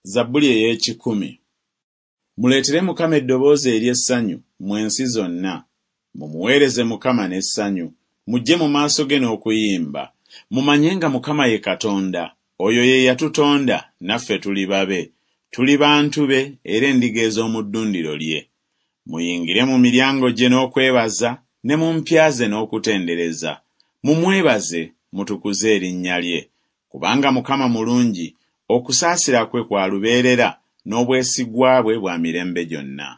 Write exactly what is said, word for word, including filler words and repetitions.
Zabbuli ey'ekikumi. Muleetere Mukama eddoboozi ery'essanyu, mmwe ensi zonna. Mumuweereze Mukama n'essanyu, mujje mu maaso ge n'okuyimba. Mumanye nga Mukama ye Katonda, oyo ye yatutonda, naffe tuli babe, tuli bantu be era endiga ez'omu ddundiro lye. Muyingire mu miryango gye n'okwebaza, ne mu mpya ze n'okutendereza. Mumwebaze, mutukuze erinnya lye. Kubanga Mukama mulungi, okusaasira kwe kwa lubeerera, n'obwesigwa bwe bwa mirembe gyonna.